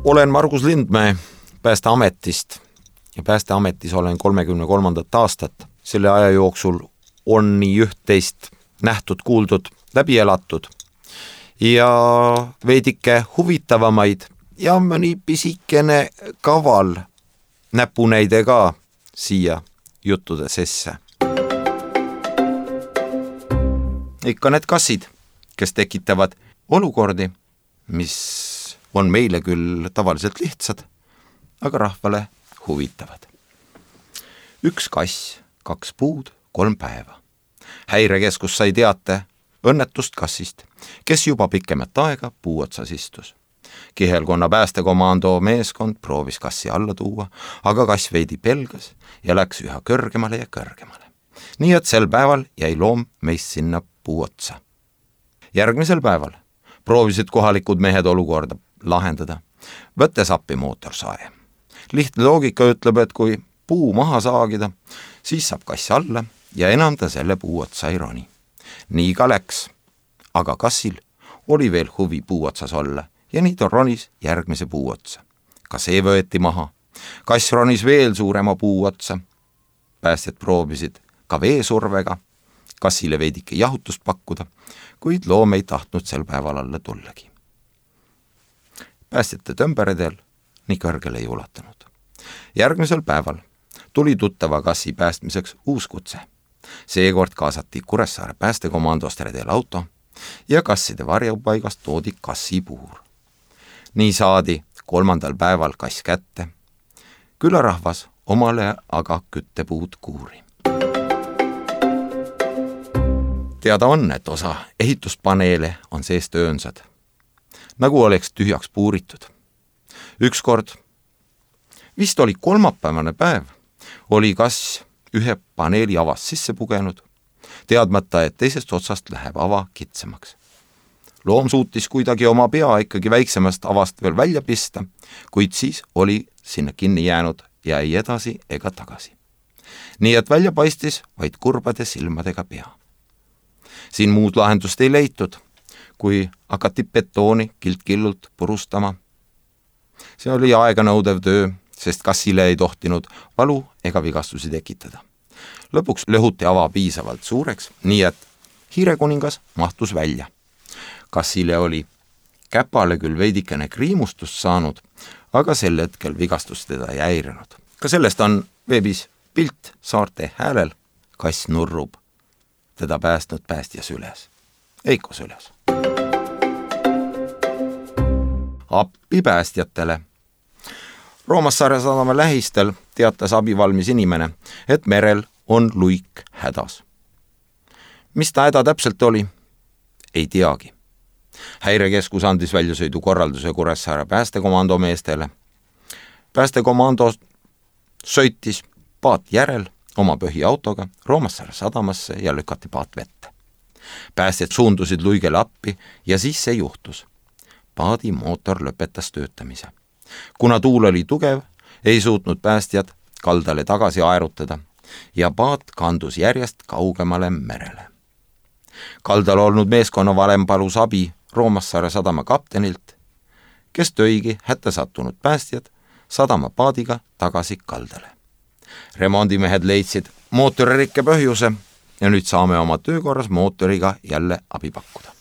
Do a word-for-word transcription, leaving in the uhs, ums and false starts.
Olen Margus Lindmäe Päästeametist ja Päästeametis olen kolmekümne kolmandat aastat. Selle aja jooksul on nii üht-teist nähtud, kuuldud, läbi elatud ja veidike huvitavamaid ja mõni pisikene kaval näpunäide ka siia juttude sesse. Ikka need kassid, kes tekitavad olukordi, mis on meile küll tavaliselt lihtsad, aga rahvale huvitavad. Üks kass, kaks puud, kolm päeva. Häirekeskus sai teate õnnetust kassist, kes juba pikemat aega puu otsas istus. Kihelkonna päästekomando meeskond proovis kassi alla tuua, aga kass veidi pelgas ja läks üha kõrgemale ja kõrgemale. Nii et sel päeval jäi loom meist sinna puu otsa. Järgmisel päeval proovisid kohalikud mehed olukorda lahendada, võttes appi mootorsae. Lihtne loogika ütleb, et kui puu maha saagida, siis saab kass alla ja enam ta selle puu otsa ei roni. Nii ka läks, aga kassil oli veel huvi puu otsas olla ja nii ta ronis järgmise puu otsa. Ka see võeti maha. Kass ronis veel suurema puu otsa. Päästjad proovisid ka veesurvega kassile veidike jahutust pakkuda, kuid loom ei tahtnud sel päeval alla tullagi. Päästjate tõmberedel nii kõrgele ei ulatanud. Järgmisel päeval tuli tuttava kassi päästmiseks uus kutse. Seekord kaasati Kuressaare päästekomandost redel auto ja kasside varjupaigast toodi kassipuur. Nii saadi kolmandal päeval kass kätte. Külarahvas omale aga küttepuud kuuri. Teada on, et osa ehituspaneele on seest öönsad, nagu oleks tühjaks puuritud. Ükskord, vist oli kolmapäevane päev, oli kass ühe paneeli avast sisse pugenud, teadmata, et teisest otsast läheb ava kitsamaks. Loom suutis kuidagi oma pea ikkagi väiksemast avast veel välja pista, kuid siis oli sinna kinni jäänud ja ei edasi ega tagasi. Nii et välja paistis vaid kurbade silmadega pea. Siin muud lahendust ei leitud, kui hakati betooni kilt-killult purustama. See oli aeganõudev töö, sest kassile ei tohtinud valu ega vigastusi tekitada. Lõpuks lõhuti ava piisavalt suureks, nii et hiirekuningas mahtus välja. Kassile oli käpale küll veidikene kriimustust saanud, aga sel hetkel vigastus teda ei häirinud. Ka sellest on veebis pilt Saarte Häälel. Kass nurrub teda päästnud päästja süles. Eiko süles. Appi päästjatele. Roomassaare sadama lähistel teatas abivalmis inimene, et merel on luik hädas. Mis ta häda täpselt oli? Ei teagi. Häirekeskus andis väljasõidu korralduse Kuressaare päästekomando meestele. Päästekomando sõitis paat järel oma põhiautoga Roomassaare sadamasse ja lükati paat vette. Päästjad suundusid luigele appi ja siis see juhtus. Paadi mootor lõpetas töötamise. Kuna tuul oli tugev, ei suutnud päästjad kaldale tagasi aerutada ja paat kandus järjest kaugemale merele. Kaldal olnud meeskonna valem palus abi Roomassaare sadama kaptenilt, kes tõigi hätta sattunud päästjad sadama paadiga tagasi kaldale. Remondimehed leidsid mootoririkke põhjuse ja nüüd saame oma töökorras mootoriga jälle abi pakkuda.